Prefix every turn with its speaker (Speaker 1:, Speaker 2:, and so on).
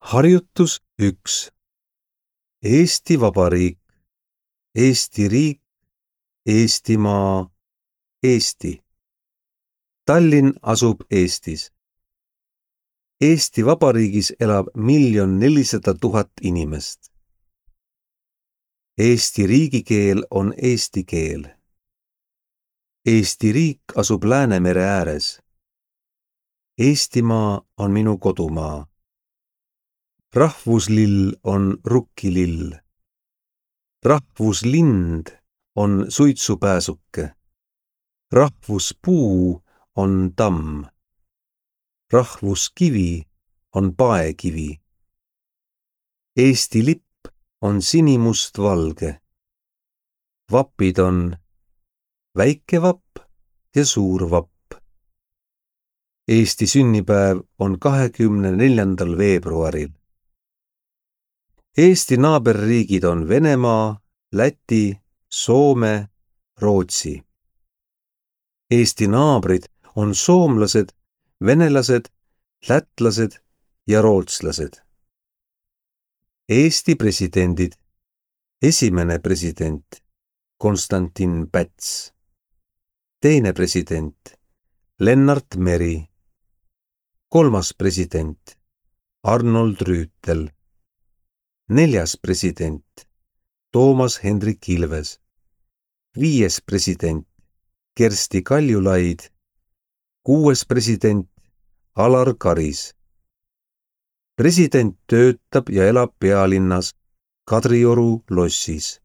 Speaker 1: Harjutus 1. Eesti Vabariik, Eesti riik, Eestimaa, Eesti. Tallinn asub Eestis. Eesti Vabariigis elab 1 400 000 inimest. Eesti riigikeel on eesti keel. Eesti riik asub Läänemere ääres. Eestimaa on minu kodumaa. Rahvuslill on rukkilill. Rahvuslind on suitsupääsuke. Rahvuspuu on tamm. Rahvuskivi on paekivi. Eesti lipp on sinimustvalge. Vapid on väike vapp ja suur vapp. Eesti sünnipäev on 24. veebruaril. Eesti naaberriigid on Venemaa, Läti, Soome, Rootsi. Eesti naabrid on soomlased, venelased, lätlased ja rootslased. Eesti presidendid. Esimene president Konstantin Päts. Teine president Lennart Meri. Kolmas president Arnold Rüütel. Neljas president Toomas Hendrik Ilves. Viies president Kersti Kaljulaid. Kuues president Alar Karis. President töötab ja elab pealinnas Kadrioru lossis.